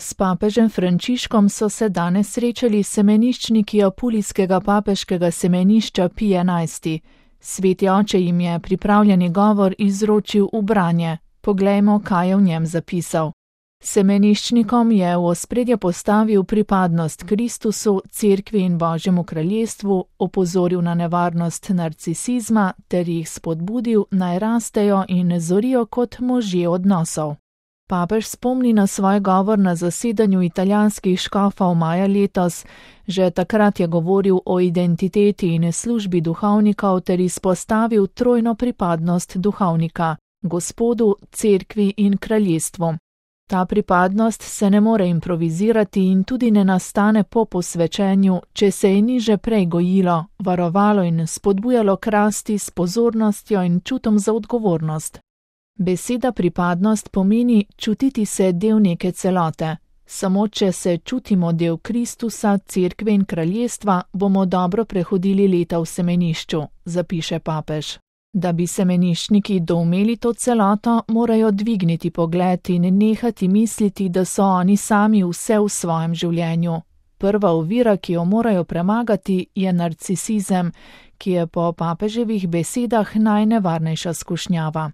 S papežem Frančiškom so se danes srečali semeniščniki apulijskega papeškega semenišča Pij XI. Sveti oče jim je pripravljeni govor izročil v branje. Poglejmo, kaj je v njem zapisal. Semeniščnikom je v ospredje postavil pripadnost Kristusu, Cerkvi in Božjemu kraljestvu, opozoril na nevarnost narcisizma ter jih spodbudil, naj rastejo in zorijo kot možje odnosov. Papež spomni na svoj govor na zasedanju italijanskih škofov maja letos. Že takrat je govoril o identiteti in službi duhovnikov ter izpostavil trojno pripadnost duhovnika – Gospodu, Cerkvi in kraljestvu. Ta pripadnost se ne more improvizirati in tudi ne nastane po posvečenju, če se je ni že prej gojilo, varovalo in spodbujalo k rasti s pozornostjo in čutom za odgovornost. Beseda pripadnost pomeni čutiti se del neke celote. Samo če se čutimo del Kristusa, Cerkve in kraljestva, bomo dobro prehodili leta v semenišču, zapiše papež. Da bi semeniščniki doumeli to celoto, morajo dvigniti pogled in nehati misliti, da so oni sami vse v svojem življenju. Prva ovira, ki jo morajo premagati, je narcisizem, ki je po papeževih besedah najnevarnejša skušnjava.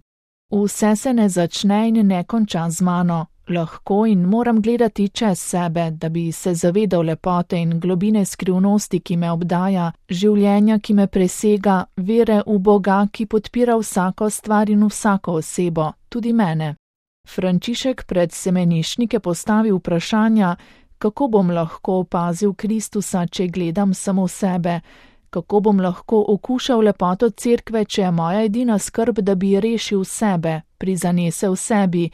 Vse se ne začne in ne konča z mano. Lahko in moram gledati čez sebe, da bi se zavedal lepote in globine skrivnosti, ki me obdaja, življenja, ki me presega, vere v Boga, ki podpira vsako stvar in vsako osebo, tudi mene. Frančišek pred semeniščnike postavi vprašanja, kako bom lahko opazil Kristusa, če gledam samo sebe, kako bom lahko okušal lepoto Cerkve, če je moja edina skrb, da bi rešil sebe, prizanesel sebi,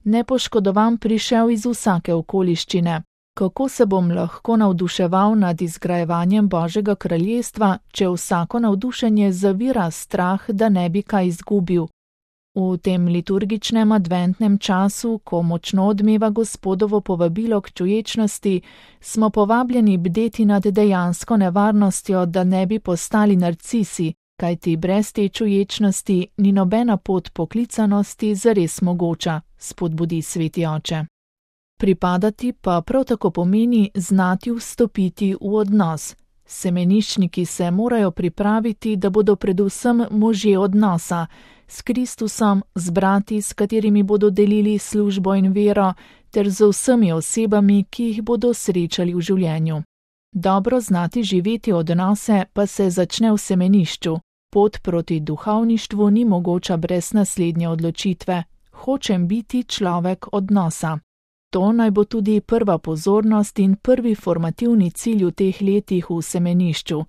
nepoškodovan prišel iz vsake okoliščine. Kako se bom lahko navduševal nad izgrajevanjem Božjega kraljestva, če vsako navdušenje zavira strah, da ne bi kaj izgubil? V tem liturgičnem adventnem času, ko močno odmeva Gospodovo povabilo k čuječnosti, smo povabljeni bdeti nad dejansko nevarnostjo, da ne bi postali narcisi, kajti brez te čuječnosti ni nobena pot poklicanosti zares mogoča, spodbudi sveti oče. Pripadati pa prav tako pomeni znati vstopiti v odnos. Semeniščniki se morajo pripraviti, da bodo predvsem možje odnosa, s Kristusom, z brati, s katerimi bodo delili službo in vero, ter z vsemi osebami, ki jih bodo srečali v življenju. Dobro znati živeti odnose pa se začne v semenišču. Pot proti duhovništvu ni mogoča brez naslednje odločitve. Hočem biti človek odnosa. To naj bo tudi prva pozornost in prvi formativni cilj v teh letih v semenišču.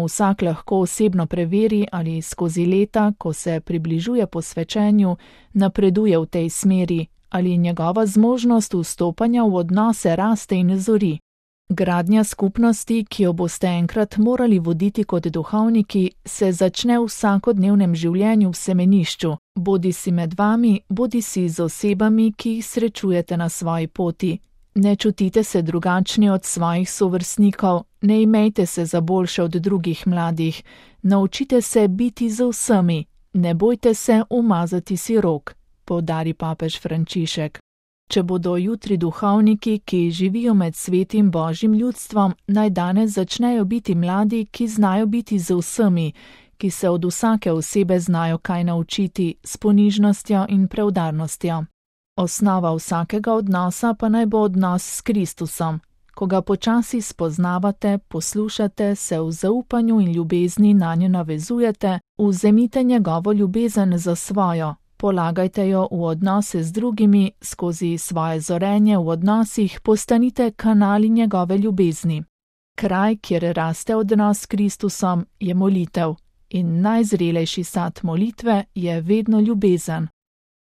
Vsak lahko osebno preveri, ali skozi leta, ko se približuje posvečenju, napreduje v tej smeri, ali njegova zmožnost vstopanja v odnose raste in zori. Gradnja skupnosti, ki jo boste enkrat morali voditi kot duhovniki, se začne v vsakodnevnem življenju v semenišču, bodisi med vami, bodisi z osebami, ki jih srečujete na svoji poti. Ne čutite se drugačni od svojih sovrstnikov, ne imejte se za boljše od drugih mladih, naučite se biti z vsemi, ne bojte se umazati si rok, poudari papež Frančišek. Če bodo jutri duhovniki, ki živijo med svetim Božjim ljudstvom, naj danes začnejo biti mladi, ki znajo biti z vsemi, ki se od vsake osebe znajo kaj naučiti s ponižnostjo in preudarnostjo. Osnova vsakega odnosa pa naj bo odnos s Kristusom. Ko ga počasi spoznavate, poslušate, se v zaupanju in ljubezni nanjo navezujete, vzemite njegovo ljubezen za svojo. Polagajte jo v odnose z drugimi, skozi svoje zorenje v odnosih postanite kanali njegove ljubezni. Kraj, kjer raste odnos s Kristusom, je molitev in najzrelejši sad molitve je vedno ljubezen.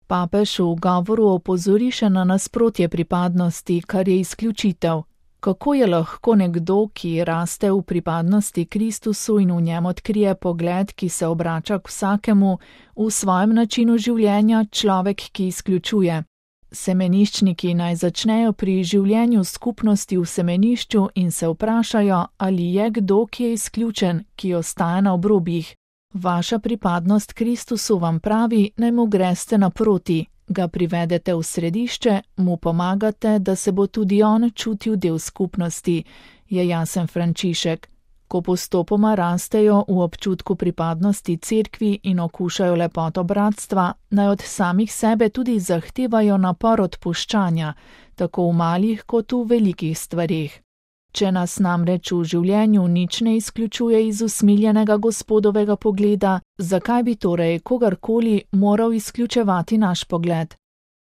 Papež v govoru opozori še na nasprotje pripadnosti, kar je izključitev. Kako je lahko nekdo, ki raste v pripadnosti Kristusu in v njem odkrije pogled, ki se obrača k vsakemu, v svojem načinu življenja človek, ki izključuje? Semeniščniki naj začnejo pri življenju skupnosti v semenišču in se vprašajo, ali je kdo, ki je izključen, ki ostaja na obrobjih. Vaša pripadnost Kristusu vam pravi, naj mu greste naproti, ga privedete v središče, mu pomagate, da se bo tudi on čutil del skupnosti, je jasen Frančišek. Ko postopoma rastejo v občutku pripadnosti cerkvi in okušajo lepoto bratstva, naj od samih sebe tudi zahtevajo napor odpuščanja, tako v malih kot v velikih stvareh. Če nas namreč v življenju nič ne izključuje iz usmiljenega Gospodovega pogleda, zakaj bi torej kogarkoli moral izključevati naš pogled?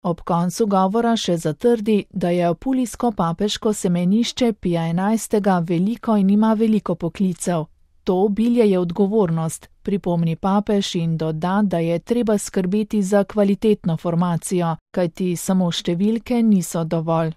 Ob koncu govora še zatrdi, da je apulijsko papeško semenišče Pija XI. Veliko in ima veliko poklicev. To obilje je odgovornost, pripomni papež in doda, da je treba skrbeti za kvalitetno formacijo, kajti samo številke niso dovolj.